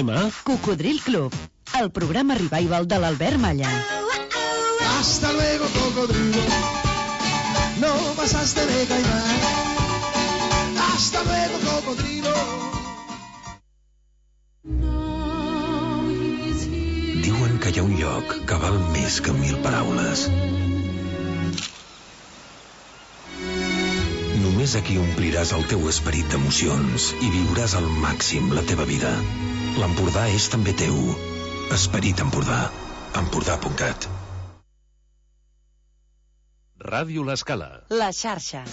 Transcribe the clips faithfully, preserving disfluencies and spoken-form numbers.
M. Cocodril Club, el programa revival de l'Albert Malla. Hasta luego, cocodrilo. No vas a tener caimán. Hasta luego, cocodrilo. Diuen que hi ha un lloc que val més que mil paraules. Només aquí ompliràs el teu esperit d'emocions i viuràs al màxim la teva vida. L'Empordà és també teu. Esperit Empordà. Empordà punt cat. Ràdio L'Escala. La xarxa.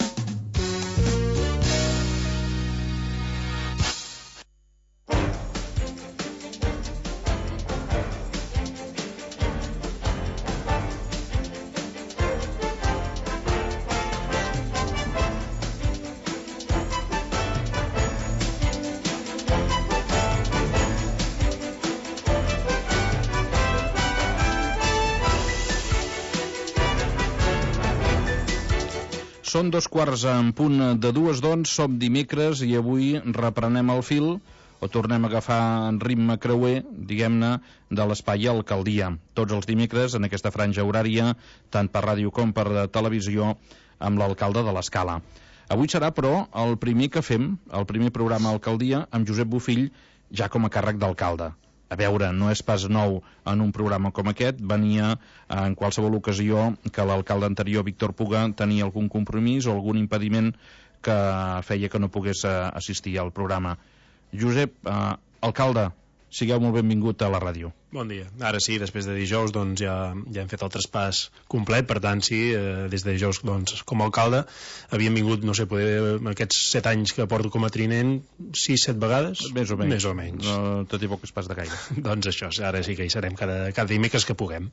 Són dos quarts en punt de dues, doncs, som dimecres i avui reprenem el fil, o tornem a agafar en ritme creuer, diguem-ne, de l'espai Alcaldia. Tots els dimecres, en aquesta franja horària, tant per ràdio com per televisió, amb l'alcalde de l'Escala. Avui serà, però, el primer que fem, el primer programa Alcaldia, amb Josep Bofill, ja com a càrrec d'alcalde. A veure, no és pas nou en un programa com aquest, venia en qualsevol ocasió que l'alcalde anterior, Víctor Puga, tenia algun compromís o algun impediment que feia que no pogués assistir al programa. Josep, eh, alcalde, sigueu molt benvingut a la ràdio. Bon dia. Ara sí, després de dijous doncs ja, ja hem fet el traspàs complet, per tant sí, eh, des de dijous doncs, com a alcalde havíem vingut, no sé, poder, aquests set anys que porto com a trinent, sis, set vegades? Més o menys. Més o menys. No tot i poc es pas de gaire. Doncs això, ara sí que hi serem cada, cada dimecres que puguem.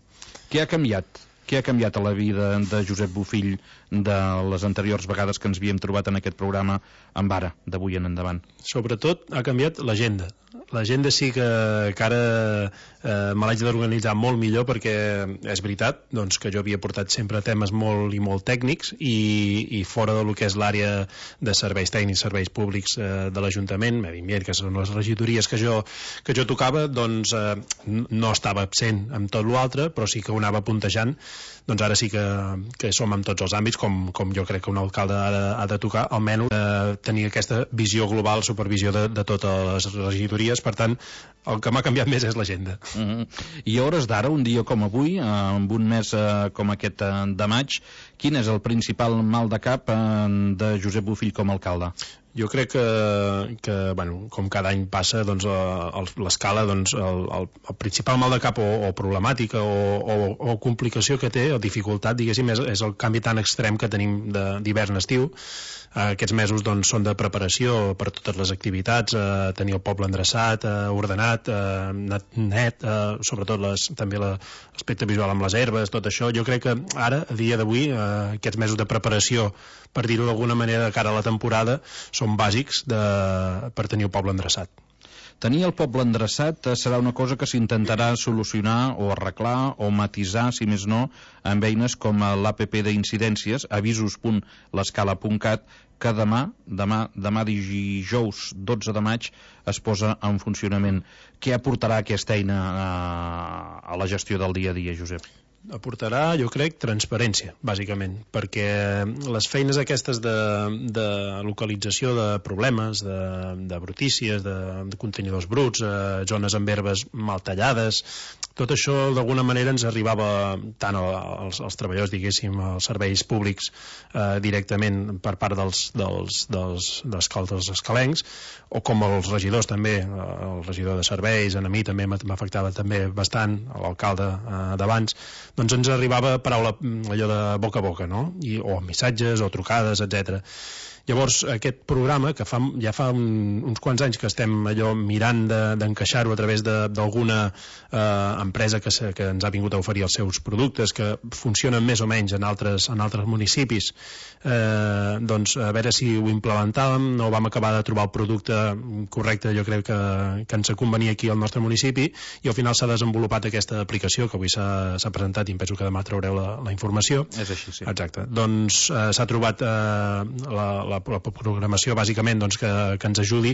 Què ha canviat? Què ha canviat a la vida de Josep Bofill de les anteriors vegades que ens havíem trobat en aquest programa amb ara, d'avui en endavant? Sobretot ha canviat l'agenda. L'agenda sí que, que ara eh, me l'haig d'organitzar molt millor, perquè és veritat doncs, que jo havia portat sempre temes molt i molt tècnics i, i fora del que és l'àrea de serveis tècnics, serveis públics eh, de l'Ajuntament, medi ambient, que són les regidories que jo, que jo tocava, doncs eh, no estava absent amb tot l'altre, però sí que ho anava puntejant. Doncs ara sí que, que som en tots els àmbits, com, com jo crec que un alcalde ha de, ha de tocar, almenys eh, tenir aquesta visió global, supervisió de, de totes les regidories. Per tant, el que m'ha canviat més és l'agenda. Mm-hmm. I a hores d'ara, un dia com avui, eh, amb un mes eh, com aquest eh, de maig, quin és el principal mal de cap eh, de Josep Bofill com a alcalde? Jo crec que, que bueno, com cada any passa, doncs, l'Escala, doncs, el, el, el principal mal de cap o, o problemàtica o, o, o complicació que té, o dificultat, diguéssim, és, és el canvi tan extrem que tenim d'hivern-estiu. Eh, aquests mesos doncs, són de preparació per totes les activitats, eh, tenir el poble endreçat, eh, ordenat, eh, net, eh, sobretot les, també l'aspecte visual amb les herbes, tot això. Jo crec que ara, a dia d'avui, eh, aquests mesos de preparació, per dir-ho d'alguna manera, de cara a la temporada, són bàsics de, per tenir el poble endreçat. Tenir el poble endreçat serà una cosa que s'intentarà solucionar o arreglar o matisar, si més no, amb eines com l'A P P d'incidències, avisos punt l'escala punt cat, que demà, demà, demà dijous dotze de maig, es posa en funcionament. Què aportarà aquesta eina a, a la gestió del dia a dia, Josep? Aportarà, jo crec, transparència, bàsicament, perquè les feines aquestes de, de localització de problemes, de, de brutícies, de, de contenidors bruts, eh, zones amb herbes mal tallades, tot això d'alguna manera ens arribava tant als, als treballadors, diguéssim, als serveis públics eh, directament per part dels, dels, dels, dels, dels escalencs, o com els regidors també, el regidor de serveis, a mi també m'afectava també bastant, l'alcalde eh, d'abans, doncs ens arribava paraula allò de boca a boca, no? I, o missatges o trucades, etcètera. Llavors, aquest programa, que fa, ja fa un, uns quants anys que estem allò mirant d'encaixar-ho de, a través d'alguna eh, empresa que, se, que ens ha vingut a oferir els seus productes, que funcionen més o menys en altres, en altres municipis, eh, doncs a veure si ho implementàvem, no vam acabar de trobar el producte correcte, jo crec que, que ens convenia aquí al nostre municipi, i al final s'ha desenvolupat aquesta aplicació, que avui s'ha presentat i em penso que demà traureu la, la informació. És així, sí. Exacte. Doncs eh, s'ha trobat eh, la, la la programació bàsicament doncs, que, que ens ajudi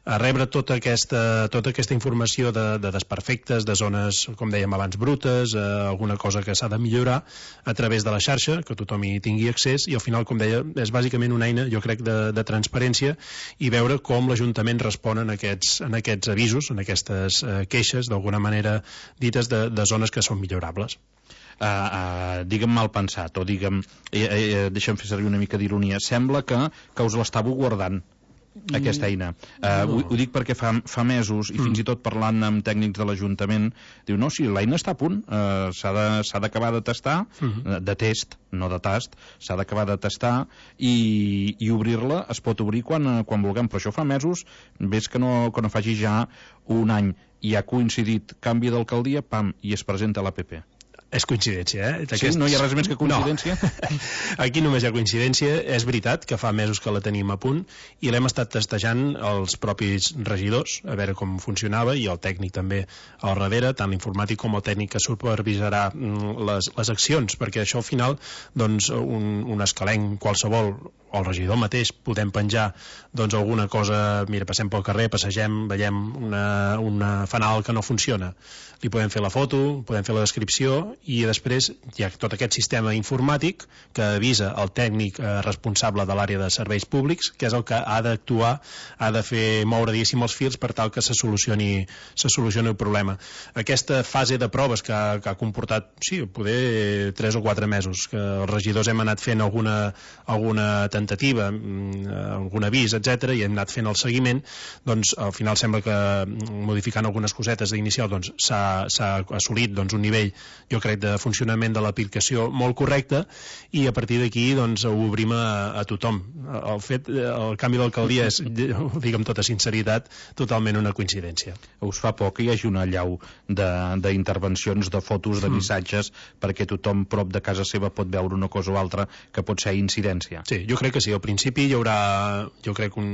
a rebre tota aquesta, tota aquesta informació de, de desperfectes, de zones, com dèiem abans, brutes, eh, alguna cosa que s'ha de millorar a través de la xarxa, que tothom hi tingui accés, i al final, com deia, és bàsicament una eina, jo crec, de, de transparència i veure com l'Ajuntament respon en aquests, en aquests avisos, en aquestes eh, queixes, d'alguna manera dites, de, de zones que són millorables. Uh, uh, digue'm mal pensat, o digue'm, eh, eh, deixa'm fer servir una mica d'ironia, sembla que, que us l'estàveu guardant, aquesta eina. Uh, no. ho, ho dic perquè fa, fa mesos, i fins mm. i tot parlant amb tècnics de l'Ajuntament, diu, no, sí, l'eina està a punt, uh, s'ha d'acabar de, de testar, mm. de test, no de tast, s'ha d'acabar de testar, i, i obrir-la es pot obrir quan, quan vulguem, però això fa mesos, ves que no, que no faci ja un any, i ha coincidit canvi d'alcaldia, pam, i es presenta a l'A P P. És coincidència, eh? Sí, no hi ha res més que coincidència? No. Aquí només hi ha coincidència. És veritat que fa mesos que la tenim a punt i l'hem estat testejant els propis regidors, a veure com funcionava, i el tècnic també al darrere, tant l'informàtic com el tècnic que supervisarà les, les accions, perquè això al final, doncs, un, un escalenc qualsevol, o el regidor mateix, podem penjar doncs alguna cosa, mira, passem pel carrer, passegem, veiem una, una fanal que no funciona. Li podem fer la foto, podem fer la descripció, i després hi ha tot aquest sistema informàtic que avisa el tècnic eh, responsable de l'àrea de serveis públics, que és el que ha d'actuar, ha de fer moure, diguéssim, els fils per tal que se solucioni, se solucioni el problema. Aquesta fase de proves que ha, que ha comportat, sí, poder tres o quatre mesos, que els regidors hem anat fent alguna, alguna tentativa, algun avís, etcètera, i hem anat fent el seguiment, doncs al final sembla que modificant algunes cosetes d'inicial doncs s'ha assolit doncs, un nivell, jo crec, de funcionament de l'aplicació molt correcte, i a partir d'aquí doncs ho obrim a, a tothom. El fet, el canvi d'alcaldia és, ho dic amb tota sinceritat, totalment una coincidència. Us fa por que hi hagi una allau d'intervencions, de, de fotos, de missatges, mm. perquè tothom prop de casa seva pot veure una cosa o altra que pot ser incidència? Sí, jo crec que sí. Al principi hi haurà, jo crec, un,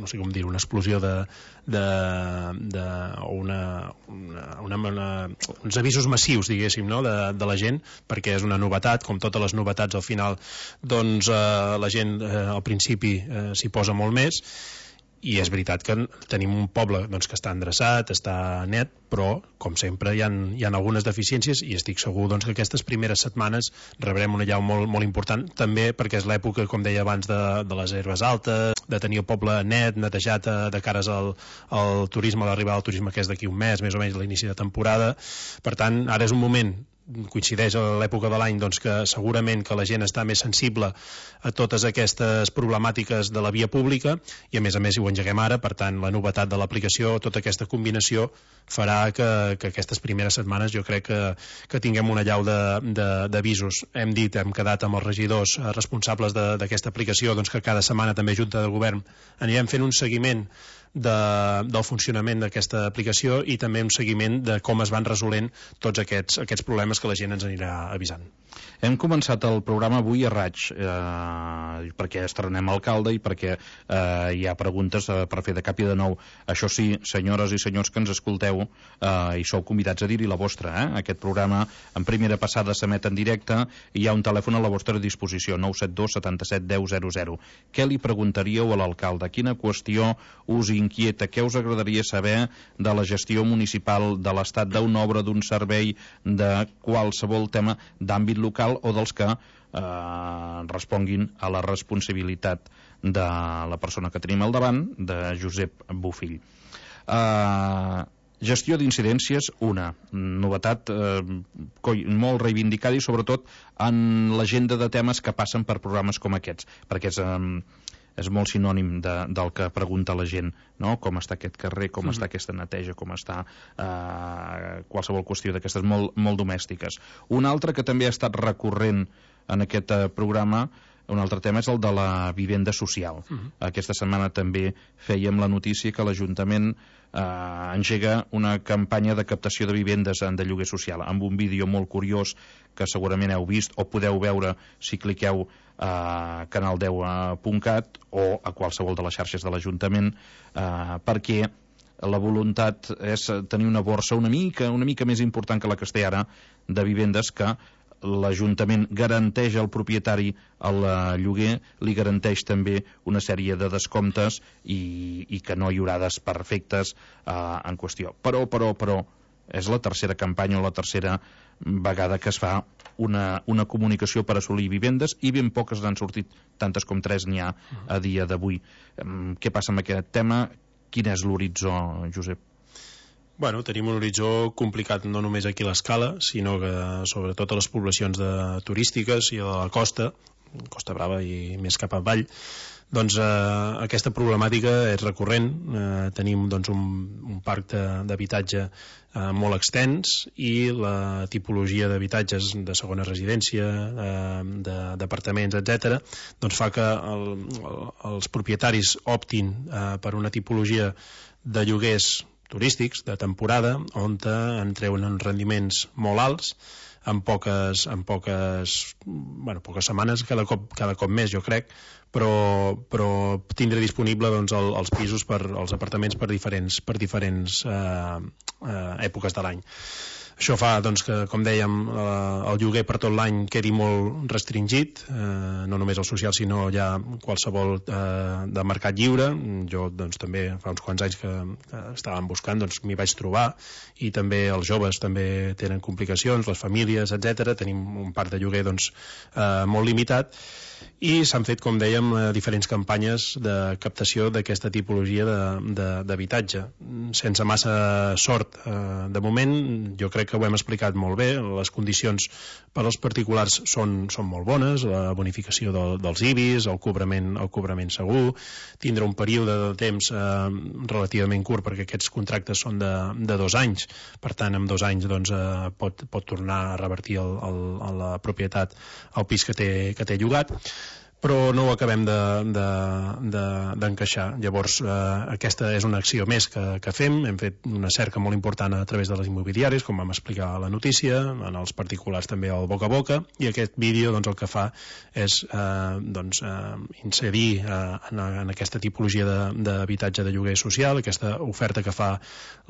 no sé com dir, una explosió de, de, de una, una, una, una, uns avisos massius, diguéssim, no? de, de la gent, perquè és una novetat, com totes les novetats al final, doncs eh, la gent eh, al principi eh, s'hi posa molt més, i és veritat que tenim un poble doncs, que està endreçat, està net, però, com sempre, hi ha, hi ha algunes deficiències, i estic segur doncs, que aquestes primeres setmanes rebrem una llau molt, molt important, també perquè és l'època, com deia abans, de, de les herbes altes, de tenir el poble net, netejat de cares al, al turisme, a l'arribada del turisme, que és d'aquí un mes, més o menys l'inici de temporada. Per tant, ara és un moment, coincideix a l'època de l'any, doncs, que segurament que la gent està més sensible a totes aquestes problemàtiques de la via pública, i a més a més ho engeguem ara. Per tant, la novetat de l'aplicació, tota aquesta combinació farà que, que aquestes primeres setmanes jo crec que, que tinguem una llau d'avisos. Hem dit, hem quedat amb els regidors responsables d'aquesta aplicació, doncs que cada setmana també Junta de Govern anirem fent un seguiment De, del funcionament d'aquesta aplicació, i també un seguiment de com es van resolent tots aquests, aquests problemes que la gent ens anirà avisant. Hem començat el programa avui a raig, eh, perquè estrenem alcalde i perquè eh, hi ha preguntes eh, per fer de cap i de nou. Això sí, senyores i senyors que ens escolteu, eh, i sou convidats a dir-hi la vostra. Eh? Aquest programa en primera passada s'emet en directe i hi ha un telèfon a la vostra disposició, nou set dos setanta-set deu zero zero. Què li preguntaríeu a l'alcalde? Quina qüestió us inquieta? Què us agradaria saber de la gestió municipal, de l'estat d'una obra, d'un servei, de qualsevol tema d'àmbit local, o dels que eh, responguin a la responsabilitat de la persona que tenim al davant, de Josep Bofill. Eh, gestió d'incidències, una novetat eh, molt reivindicada, i sobretot en l'agenda de temes que passen per programes com aquests, perquè és... Eh, és molt sinònim de, del que pregunta la gent, no? Com està aquest carrer, com mm-hmm. està aquesta neteja, com està eh, qualsevol qüestió d'aquestes molt, molt domèstiques. Un altre que també ha estat recurrent en aquest eh, programa, un altre tema, és el de la vivenda social. Mm-hmm. Aquesta setmana també fèiem la notícia que l'Ajuntament eh, engega una campanya de captació de vivendes de lloguer social, amb un vídeo molt curiós que segurament heu vist o podeu veure si cliqueu a canal deu punt cat o a qualsevol de les xarxes de l'Ajuntament, eh, perquè la voluntat és tenir una borsa una mica, una mica més important que la que es té ara, de vivendes que l'Ajuntament garanteix al propietari el lloguer, li garanteix també una sèrie de descomptes i, i que no hi haurà desperfectes eh, en qüestió. Però, però, però, és la tercera campanya o la tercera vegada que es fa una, una comunicació per assolir vivendes i ben poques n'han sortit, tantes com tres n'hi ha a dia d'avui. Què passa amb aquest tema? Quin és l'horitzó, Josep? Bueno, tenim un horitzó complicat no només aquí a l'Escala, sinó que sobretot a les poblacions de, turístiques i a la costa, Costa Brava i més cap avall, doncs eh, aquesta problemàtica és recurrent. Eh, tenim doncs, un, un parc d'habitatge eh, molt extens i la tipologia d'habitatges de segona residència, eh, d'apartaments, etcètera, doncs fa que el, el, els propietaris optin eh, per una tipologia de lloguers turístics de temporada on en treuen uns rendiments molt alts en poques, en poques, bueno, poques setmanes, cada cop, cada cop més, jo crec, però, però tindre disponible doncs, el, els pisos, per, els apartaments per diferents, per diferents eh, eh, èpoques de l'any. Això fa doncs, que, com dèiem, el lloguer per tot l'any quedi molt restringit, eh, no només el social, sinó ja qualsevol eh, de mercat lliure. Jo doncs, també fa uns quants anys que, que estàvem buscant, doncs m'hi vaig trobar, i també els joves també tenen complicacions, les famílies, etcètera. Tenim un parc de lloguer doncs, eh, molt limitat, i s'han fet, com dèiem, diferents campanyes de captació d'aquesta tipologia d'habitatge. Sense massa sort. De moment, jo crec que ho hem explicat molt bé, les condicions per als particulars són, són molt bones, la bonificació del, dels I B I S, el cobrament, el cobrament segur, tindre un període de temps eh, relativament curt, perquè aquests contractes són de, de dos anys, per tant, en dos anys doncs, eh, pot, pot tornar a revertir el, el, a la propietat el pis que té, que té llogat, però no ho acabem d'encaixar. De, de, de, Llavors, eh, aquesta és una acció més que, que fem. Hem fet una cerca molt important a través de les immobiliàries, com vam explicar a la notícia, en els particulars també al boca a boca, i aquest vídeo doncs, el que fa és eh, doncs, eh, incidir eh, en, en aquesta tipologia d'habitatge de, de lloguer social, aquesta oferta que fa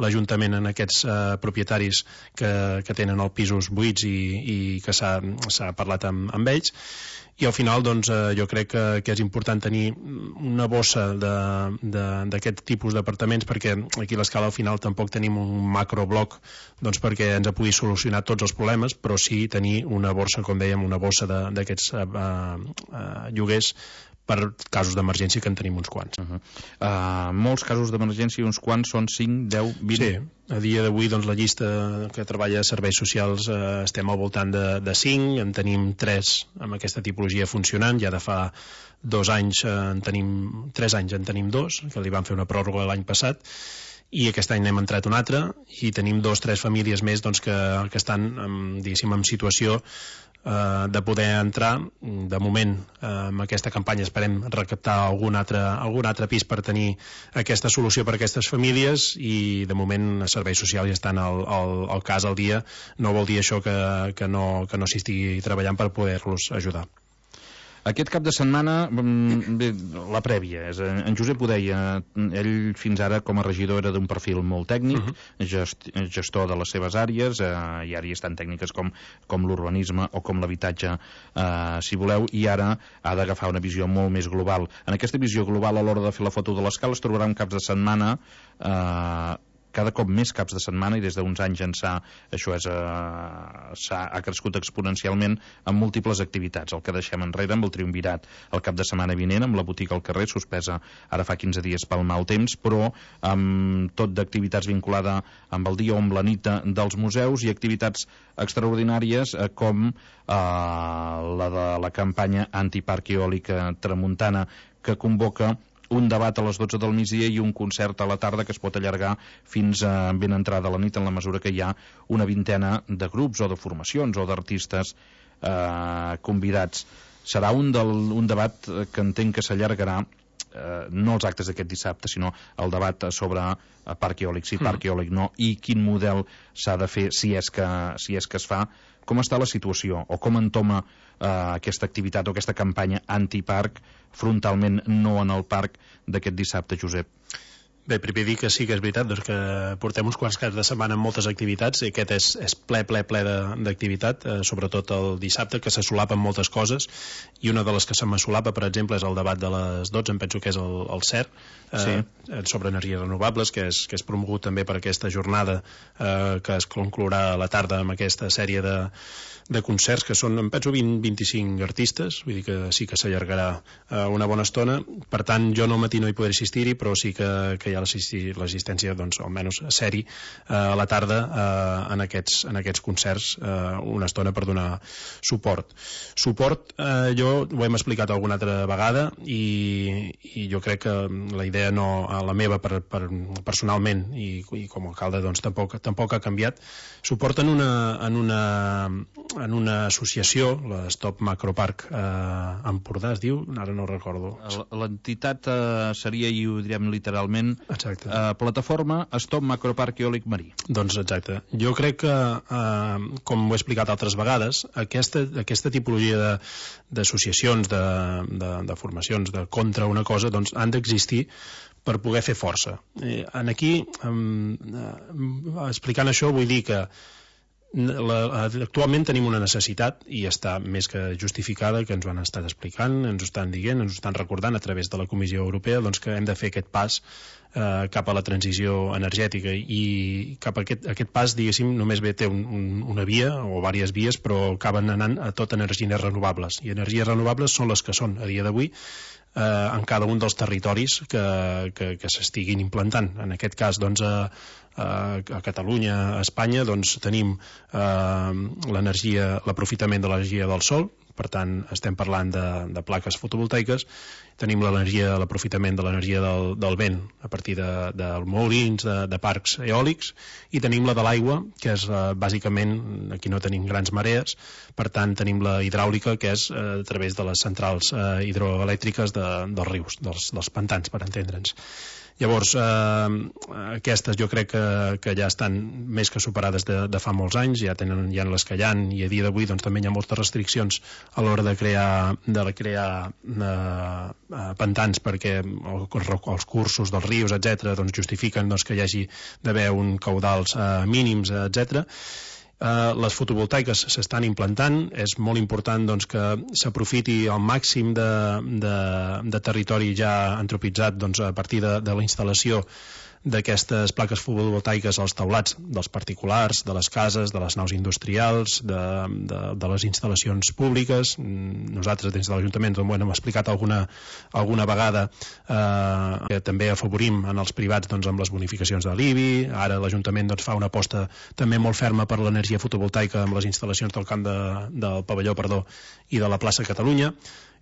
l'Ajuntament en aquests eh, propietaris que, que tenen els pisos buits i, i que s'ha parlat amb, amb ells. I al final doncs, eh, jo crec que, que és important tenir una bossa d'aquest tipus d'apartaments, perquè aquí a l'Escala al final tampoc tenim un macrobloc doncs, perquè ens pugui solucionar tots els problemes, però sí tenir una borsa, com dèiem, una bossa d'aquests eh, eh, lloguers per casos d'emergència, que en tenim uns quants. Uh -huh. uh, molts casos d'emergència, uns quants són cinc, deu, vint? Sí, a dia d'avui doncs, la llista que treballa a serveis socials eh, estem al voltant de, de cinc, en tenim tres amb aquesta tipologia funcionant, ja de fa dos anys eh, en tenim, tres anys en tenim dos, que li van fer una pròrroga l'any passat, i aquest any n'hem entrat un altre, i tenim dos, tres famílies més doncs, que, que estan en, diguéssim, en situació eh, de poder entrar. De moment, eh, amb aquesta campanya esperem recaptar algun altre, algun altre pis per tenir aquesta solució per a aquestes famílies, i de moment els serveis socials ja estan al, al, al cas al dia. No vol dir això que, que no, que no s'hi estigui treballant per poder-los ajudar. Aquest cap de setmana, bé, la prèvia, és, en Josep ho deia, ell fins ara com a regidor era d'un perfil molt tècnic, uh -huh. gest, gestor de les seves àrees, eh, i ara hi estan tècniques com, com l'urbanisme o com l'habitatge, eh, si voleu, i ara ha d'agafar una visió molt més global. En aquesta visió global, a l'hora de fer la foto de l'Escala, es trobarà un cap de setmana eh, cada cop més caps de setmana, i des d'uns anys ençà això és, eh, s'ha, ha crescut exponencialment amb múltiples activitats. El que deixem enrere amb el triumvirat el cap de setmana vinent, amb la botiga al carrer, suspesa ara fa quinze dies pel mal temps, però amb tot d'activitats vinculada amb el dia o amb la nit dels museus, i activitats extraordinàries eh, com eh, la de la campanya antiparc eòlic Tramuntana, que convoca un debat a les dotze del migdia i un concert a la tarda que es pot allargar fins a ben entrada la nit, en la mesura que hi ha una vintena de grups o de formacions o d'artistes eh, convidats. Serà un, del, un debat que entenc que s'allargarà, eh, no els actes d'aquest dissabte, sinó el debat sobre parc eòlic, sí, parc eòlic no, i quin model s'ha de fer si és que, si és que es fa. Com està la situació, o com entoma eh, aquesta activitat o aquesta campanya antiparc frontalment no en el parc d'aquest dissabte, Josep? Bé, primer dir que sí que és veritat doncs, que portem uns quants caps de setmana amb moltes activitats, i aquest és, és ple, ple, ple d'activitat, eh, sobretot el dissabte, que se solapen moltes coses, i una de les que se m'assolapa, per exemple, és el debat de les dotze, em penso que és el, el C E R, eh, sí. sobre energies renovables, que és, que és promogut també per aquesta jornada eh, que es conclourà a la tarda amb aquesta sèrie de, de concerts, que són, em penso, vint a vint-i-cinc artistes, vull dir que sí que s'allargarà eh, una bona estona. Per tant, jo no al matí no hi podré assistir-hi, però sí que, que hi ha l'assistència, doncs, almenys a sèrie, eh, a la tarda eh, en, aquests, en aquests concerts, eh, una estona per donar suport. Suport, eh, jo ho hem explicat alguna altra vegada, i, i jo crec que la idea no, la meva per, per, personalment, i, i com a alcalde, doncs, tampoc, tampoc ha canviat. Suport en una, en una, en una associació, la Stop Macroparc eh, Empordà, es diu, ara no recordo. L'entitat eh, seria, i ho direm literalment, exacte. Uh, plataforma Stop Macroparc Eòlic Marí. Doncs exacte. Jo crec que, uh, com ho he explicat altres vegades, aquesta, aquesta tipologia d'associacions, de, de, de, de formacions de contra una cosa, doncs han d'existir per poder fer força. Eh, en aquí, um, uh, explicant això, vull dir que La, actualment tenim una necessitat, i està més que justificada, que ens ho han estat explicant, ens ho estan dient, ens ho estan recordant a través de la Comissió Europea, doncs que hem de fer aquest pas eh, cap a la transició energètica, i cap a aquest, aquest pas, diguéssim, només bé té un, un, una via o diverses vies, però acaben anant a tot energies renovables, i energies renovables són les que són a dia d'avui eh, en cada un dels territoris que, que, que s'estiguin implantant. En aquest cas, doncs, a a Catalunya, a Espanya, doncs tenim eh, l'energia, l'aprofitament de l'energia del sol, per tant estem parlant de, de plaques fotovoltaiques, tenim l'energia, l'aprofitament de l'energia del, del vent a partir de, de molins, de, de parcs eòlics, i tenim la de l'aigua, que és eh, bàsicament, aquí no tenim grans marees, per tant tenim la hidràulica, que és eh, a través de les centrals eh, hidroelèctriques de, dels rius, dels, dels pantans, per entendre'ns. Llavors, eh, aquestes jo crec que, que ja estan més que superades de, de fa molts anys, ja tenen ja les que hi ha, i a dia d'avui doncs, també hi ha moltes restriccions a l'hora de crear, de crear eh, pantans, perquè el, els cursos dels rius, etcètera, doncs, justifiquen doncs, que hi hagi d'haver un caudals eh, mínims, etcètera. Uh, les fotovoltaiques s'estan implantant, és molt important doncs, que s'aprofiti el màxim de, de, de territori ja antropitzat doncs, a partir de, de la instal·lació d'aquestes plaques fotovoltaiques als teulats dels particulars, de les cases, de les naus industrials, de, de, de les instal·lacions públiques. Nosaltres des de l'Ajuntament doncs, bueno, hem explicat alguna, alguna vegada eh, que també afavorim en els privats doncs, amb les bonificacions de l'I B I. Ara l'Ajuntament doncs, fa una aposta també molt ferma per l'energia fotovoltaica amb les instal·lacions del camp de, del pavelló perdó, i de la plaça Catalunya.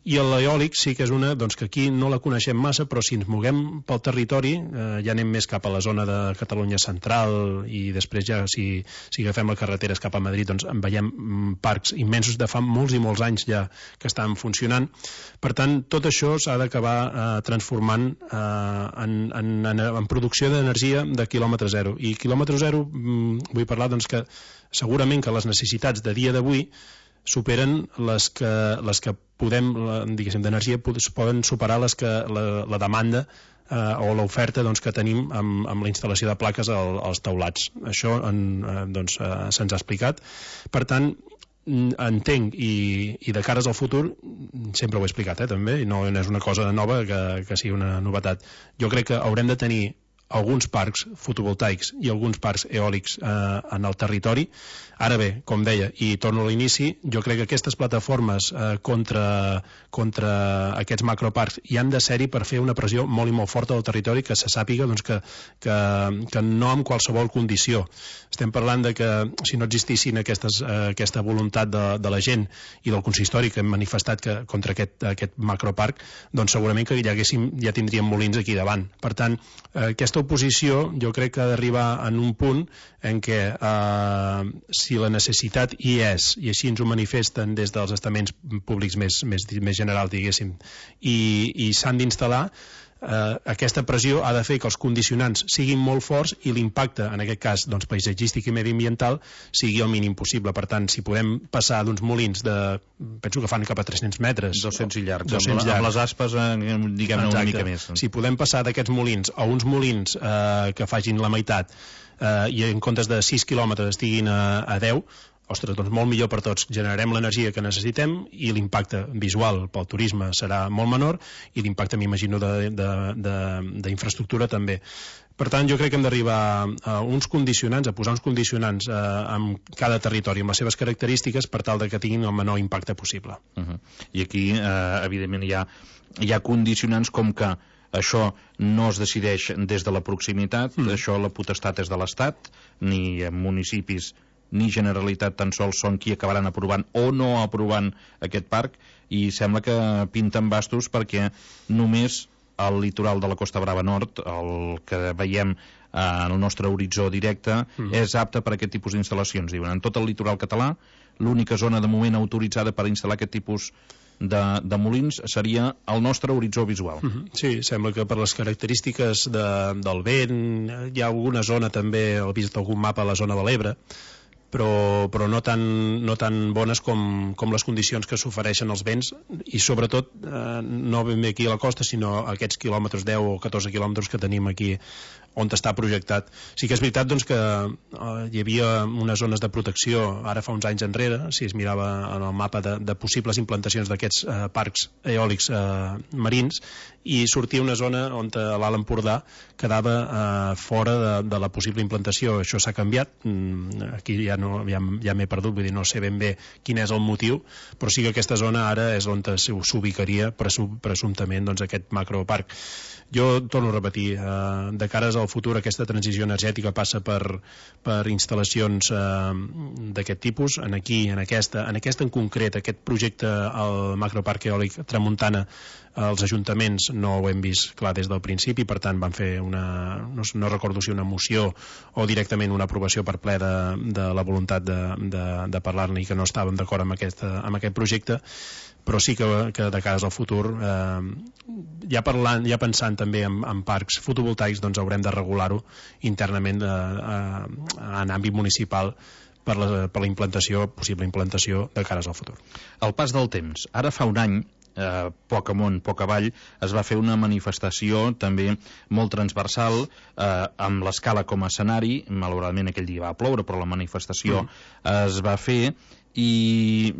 I l'eòlic sí que és una doncs, que aquí no la coneixem massa, però si ens moguem pel territori, eh, ja anem més cap a la zona de Catalunya central, i després ja si, si agafem les carreteres cap a Madrid doncs en veiem parcs immensos de fa molts i molts anys ja que estan funcionant. Per tant, tot això s'ha d'acabar eh, transformant eh, en, en, en, en producció d'energia de quilòmetre zero. I quilòmetre zero mm, vull parlar doncs, que segurament que les necessitats de dia d'avui superen les que, les que podem, diguéssim, d'energia poden superar les que la, la demanda eh, o l'oferta doncs, que tenim amb, amb la instal·lació de plaques al, als teulats. Això en, eh, doncs, eh, se'ns ha explicat. Per tant, entenc, i, i de cares al futur, sempre ho he explicat, eh, també, i no, no és una cosa nova que, que sigui una novetat. Jo crec que haurem de tenir alguns parcs fotovoltaics i alguns parcs eòlics eh, en el territori. Ara bé, com deia, i torno a l'inici, jo crec que aquestes plataformes eh, contra, contra aquests macroparcs hi han de ser-hi per fer una pressió molt i molt forta al territori, que se sàpiga doncs, que, que, que no amb qualsevol condició. Estem parlant de que si no existissin aquestes, eh, aquesta voluntat de, de la gent i del consistori que hem manifestat que, contra aquest, aquest macroparc, doncs segurament que ja, haguéssim, ja tindríem molins aquí davant. Per tant, eh, aquesta oposició jo crec que ha d'arribar en un punt en què eh, si la necessitat hi és, i així ens ho manifesten des dels estaments públics més, més, més generals, diguéssim, i, i s'han d'instal·lar, eh, aquesta pressió ha de fer que els condicionants siguin molt forts i l'impacte, en aquest cas doncs, paisatgístic i mediambiental, sigui el mínim possible. Per tant, si podem passar d'uns molins de, penso que fan cap a tres-cents metres, dos-cents i llargs, dos-cents amb, amb les aspes, eh, diguem-ne, una mica més. Si podem passar d'aquests molins a uns molins eh, que facin la meitat eh, i en comptes de sis quilòmetres estiguin a, a deu, ostres, doncs molt millor per tots. Generarem l'energia que necessitem i l'impacte visual pel turisme serà molt menor i l'impacte, m'imagino, d'infraestructura també. Per tant, jo crec que hem d'arribar a uns condicionants, a posar uns condicionants eh, en cada territori, amb les seves característiques, per tal de que tinguin el menor impacte possible. Uh-huh. I aquí, eh, evidentment, hi ha, hi ha condicionants com que això no es decideix des de la proximitat, mm. això la potestat és de l'Estat, ni en municipis ni Generalitat tan sols són qui acabaran aprovant o no aprovant aquest parc, i sembla que pinten bastos perquè només el litoral de la Costa Brava Nord, el que veiem en el nostre horitzó directe, mm. és apte per a aquest tipus d'instal·lacions. Diuen, en tot el litoral català, l'única zona de moment autoritzada per instal·lar aquest tipus de, de molins seria el nostre horitzó visual. Mm-hmm. Sí, sembla que per les característiques de, del vent, hi ha alguna zona també, he vist algun mapa a la zona de l'Ebre, però, però no, tan, no tan bones com, com les condicions que s'ofereixen als vents, i sobretot eh, no ben bé aquí a la costa, sinó aquests quilòmetres, deu o catorze quilòmetres que tenim aquí on està projectat. Sí que és veritat doncs, que eh, hi havia unes zones de protecció ara fa uns anys enrere, si es mirava en el mapa de, de possibles implantacions d'aquests eh, parcs eòlics eh, marins, i sortia una zona on a l'Alt Empordà quedava eh, fora de, de la possible implantació. Això s'ha canviat, mm, aquí ja, no, ja, ja m'he perdut, vull dir, no sé ben bé quin és el motiu, però sí que aquesta zona ara és on s'ubicaria presumptament doncs, aquest macroparc. Jo torno a repetir, eh, de cares al futur aquesta transició energètica passa per, per instal·lacions eh, d'aquest tipus. En aquí, en aquesta, en aquesta en concret, aquest projecte al macroparc eòlic Tramuntana, els ajuntaments no ho hem vist clar des del principi, per tant van fer una, no, no recordo si una moció o directament una aprovació per ple de, de la voluntat de, de, de parlar-ne i que no estàvem d'acord amb, aquesta, amb aquest projecte, però sí que, que de cares al futur, eh, ja parlant, ja pensant també en, en parcs fotovoltaics, doncs haurem de regular-ho internament eh, eh, en àmbit municipal per la, per la implantació, possible implantació de cares al futur. El pas del temps. Ara fa un any, eh, poc amunt, poc avall, es va fer una manifestació també molt transversal, eh, amb l'Escala com a escenari. Malauradament aquell dia va ploure, però la manifestació mm. es va fer, i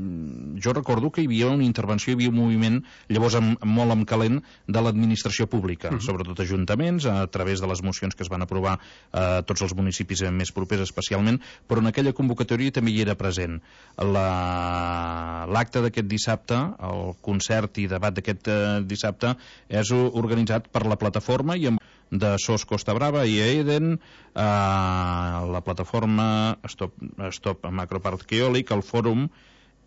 jo recordo que hi havia una intervenció, hi havia un moviment llavors amb, molt amb calent de l'administració pública, uh-huh. sobretot ajuntaments, a través de les mocions que es van aprovar a tots els municipis més propers especialment, però en aquella convocatòria també hi era present. L'acte d'aquest dissabte, el concert i debat d'aquest dissabte, és organitzat per la plataforma i amb de S O S Costa Brava i Eden, eh, la plataforma Stop, Stop Macroparc Eòlic, el fòrum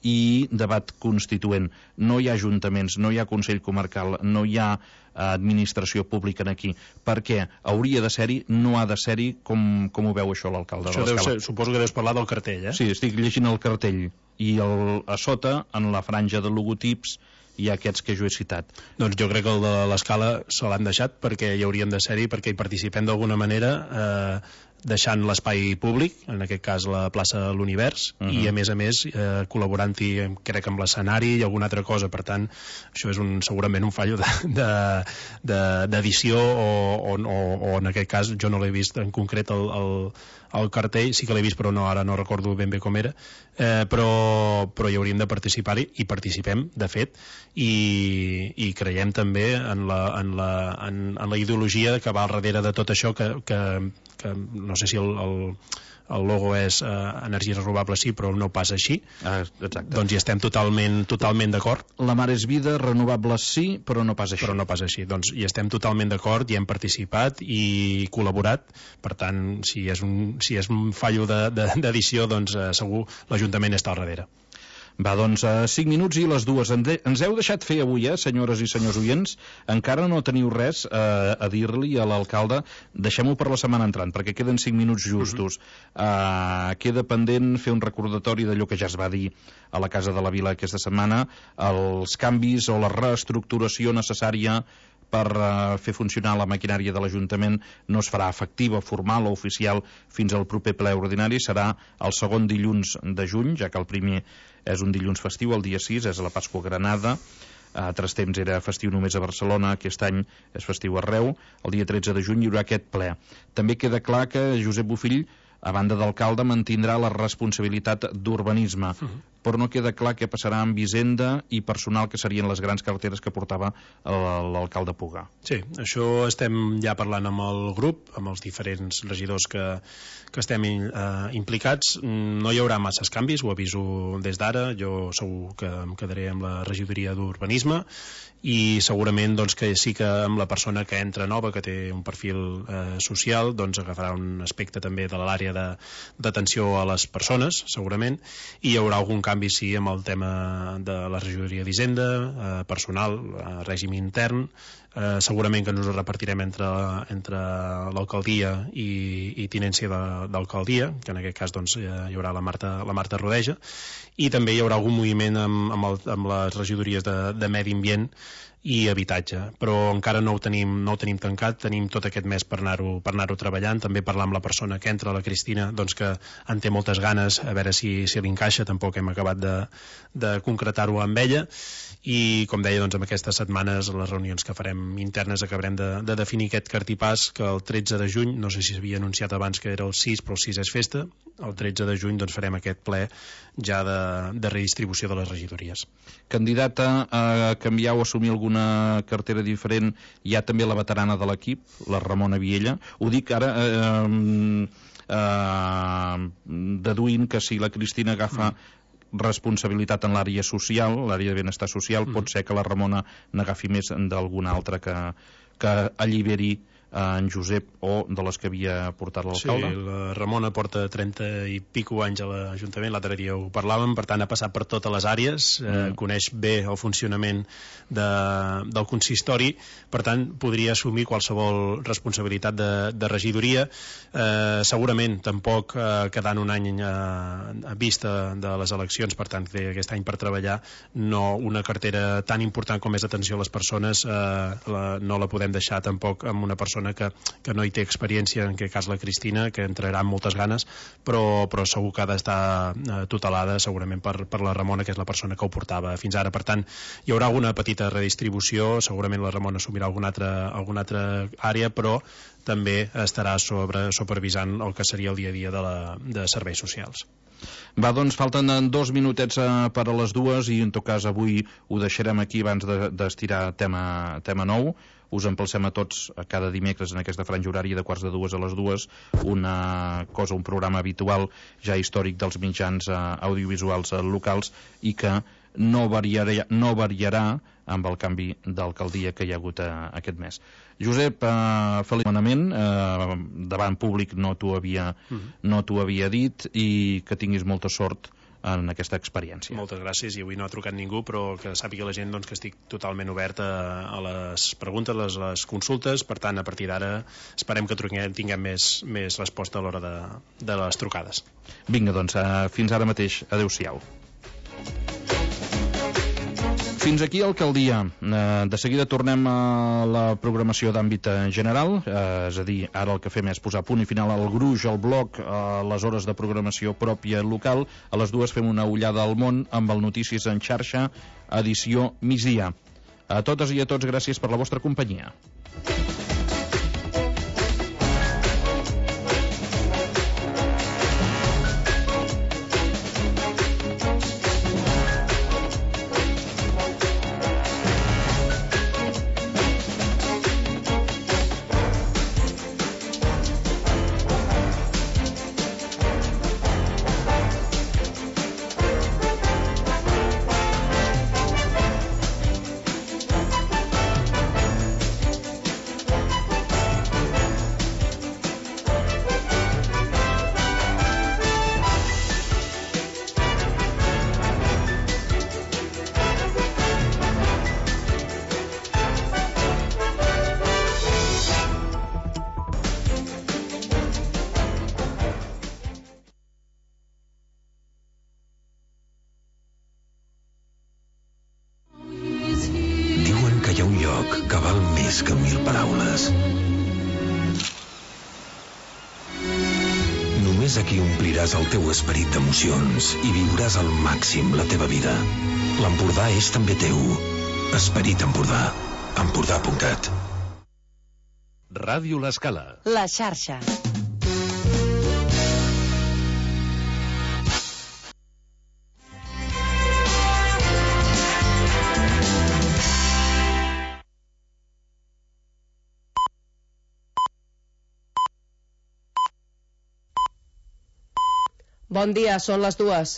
i debat constituent. No hi ha ajuntaments, no hi ha Consell Comarcal, no hi ha administració pública aquí. Per què? Hauria de ser-hi, no ha de ser-hi. Com, com ho veu això l'alcalde de l'Escala? Suposo que deus parlar del cartell, eh? Sí, estic llegint el cartell. I el, a sota, en la franja de logotips, hi ha aquests que jo he citat. Doncs jo crec que el de l'Escala se l'han deixat perquè hi hauríem de ser-hi, perquè hi participem d'alguna manera, eh, deixant l'espai públic, en aquest cas la plaça de l'Univers, uh-huh. i a més a més eh, col·laborant-hi, crec, amb l'escenari i alguna altra cosa. Per tant, això és un, segurament un fallo d'edició de, de, de, o, o, o, o en aquest cas jo no l'he vist en concret el, el, el cartell, sí que l'he vist però no, ara no recordo ben bé com era, eh, però, però hi hauríem de participar-hi, i participem de fet, i, i creiem també en la, en, la, en, en la ideologia que va al darrere de tot això, que, que, que no sé si el, el, el logo és eh, energies renovables, sí, però no passa així. Ah, exacte. Doncs hi estem totalment, totalment d'acord. La mar és vida, renovables sí, però no passa així. Però no passa així. Doncs hi estem totalment d'acord, hi hem participat i col·laborat. Per tant, si és un, si és un fallo d'edició, de, de, doncs eh, segur l'Ajuntament està al darrere. Va, doncs, a cinc minuts i les dues. Ens heu deixat fer avui, eh, senyores i senyors oients. Encara no teniu res eh, a dir-li a l'alcalde. Deixem-ho per la setmana entrant, perquè queden cinc minuts justos. Uh-huh. uh, queda pendent fer un recordatori d'allò que ja es va dir a la Casa de la Vila aquesta setmana, els canvis o la reestructuració necessària per uh, fer funcionar la maquinària de l'Ajuntament no es farà efectiva, formal o oficial fins al proper ple ordinari. Serà el segon dilluns de juny, ja que el primer és un dilluns festiu, el dia sis és la Pasqua Granada. A altres temps era festiu només a Barcelona, aquest any és festiu arreu. El dia tretze de juny hi haurà aquest ple. També queda clar que Josep Bofill, a banda d'alcalde, mantindrà la responsabilitat d'urbanisme, uh-huh. però no queda clar què passarà amb Hisenda i personal, que serien les grans carteres que portava l'alcalde Puga. Sí, això estem ja parlant amb el grup, amb els diferents regidors que, que estem eh, implicats. No hi haurà masses canvis, ho aviso des d'ara. Jo segur que em quedaré amb la regidoria d'urbanisme i segurament doncs, que sí que amb la persona que entra nova, que té un perfil eh, social, doncs agafarà un aspecte també de l'àrea d'atenció a les persones, segurament, i hi haurà algun canvi sí amb el tema de la regidoria d'Hisenda, eh, personal, eh, règim intern. Eh, segurament que ens ho repartirem entre, entre l'alcaldia i, i tinència d'alcaldia, que en aquest cas doncs, hi haurà la Marta, la Marta Rodeja, i també hi haurà algun moviment amb, amb, el, amb les regidories de, de medi ambient i habitatge, però encara no ho tenim, no ho tenim tancat. Tenim tot aquest mes per anar-ho per anar-ho treballant, també parlar amb la persona que entra, la Cristina, doncs que en té moltes ganes, a veure si, si li encaixa. Tampoc hem acabat de, de concretar-ho amb ella, i com deia, doncs, amb aquestes setmanes, les reunions que farem internes, acabarem de, de definir aquest cartipàs, que el tretze de juny, no sé si s'havia anunciat abans que era el sis, però el sis és festa, el tretze de juny doncs, farem aquest ple ja de, de redistribució de les regidories. Candidata a canviar o assumir alguna cartera diferent, hi ha també la veterana de l'equip, la Ramona Viella. Ho dic ara eh, eh, deduint que si la Cristina agafa mm. responsabilitat en l'àrea social, l'àrea de benestar social, mm. pot ser que la Ramona n'agafi més d'alguna altra que, que alliberi en Josep o de les que havia portat l'alcalde. Sí, la Ramona porta trenta i pico anys a l'Ajuntament, l'altre dia ho parlàvem, per tant ha passat per totes les àrees, mm. eh, coneix bé el funcionament de, del consistori, per tant podria assumir qualsevol responsabilitat de, de regidoria. Eh, segurament tampoc eh, quedant un any eh, a vista de les eleccions, per tant té aquest any per treballar, no una cartera tan important com és atenció a les persones, eh, la, no la podem deixar tampoc amb una persona Que, que no hi té experiència, en aquest cas la Cristina, que entrarà amb moltes ganes, però, però segur que ha d'estar eh, tutelada segurament per, per la Ramona, que és la persona que ho portava fins ara. Per tant, hi haurà alguna petita redistribució, segurament la Ramona assumirà alguna altra, alguna altra àrea, però també estarà sobre, supervisant el que seria el dia a dia de, la, de serveis socials. Va, doncs falten dos minutets eh, per a les dues, i en tot cas avui ho deixarem aquí abans d'estirar de, tema, tema nou. Us empalcem a tots a cada dimecres en aquesta franja horària de quarts de dues a les dues, una cosa, un programa habitual ja històric dels mitjans eh, audiovisuals eh, locals, i que no variarà, no variarà amb el canvi d'alcaldia que hi ha hagut eh, aquest mes. Josep, eh, feliçment, eh, davant públic no t'ho havia, mm-hmm. no t'ho havia dit, i que tinguis molta sort en aquesta experiència. Moltes gràcies, i avui no ha trucat ningú, però que sàpiga la gent doncs, que estic totalment obert a, a les preguntes, a les, les consultes. Per tant, a partir d'ara esperem que truquem, tinguem més, més resposta a l'hora de, de les trucades. Vinga, doncs, eh, fins ara mateix. Adéu-siau. Fins aquí Alcaldia. Eh, de seguida tornem a la programació d'àmbit general, eh, és a dir, ara el que fem és posar punt i final al gruix, al bloc, a les hores de programació pròpia local. A les dues fem una ullada al món amb el Notícies en xarxa, edició migdia. A totes i a tots, gràcies per la vostra companyia. més que mil paraules. Només aquí ompliràs el teu esperit d'emocions i viuràs al màxim la teva vida. L'Empordà és també teu. Esperit Empordà. Empordà punt cat. Ràdio L'Escala. La xarxa. Bon dia, són les dues.